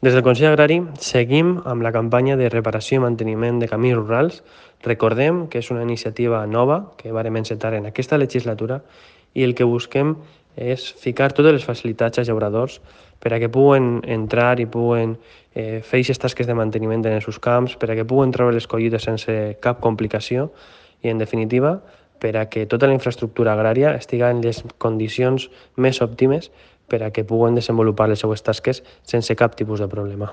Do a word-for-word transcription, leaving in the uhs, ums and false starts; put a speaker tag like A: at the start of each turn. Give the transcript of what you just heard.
A: Des del Consell Agrari seguim amb la campanya de reparació i manteniment de camins rurals. Recordem que és una iniciativa nova que vàrem encetar en aquesta legislatura i el que busquem és ficar totes les facilitats als llauradors per a que puguen entrar i puguen eh, fer aquestes tasques de manteniment en els seus camps, per a que puguen treure les collites sense cap complicació i, en definitiva, per a que tota la infraestructura agrària estigui en les condicions més òptimes per a que puguen desenvolupar les seues tasques sense cap tipus de problema.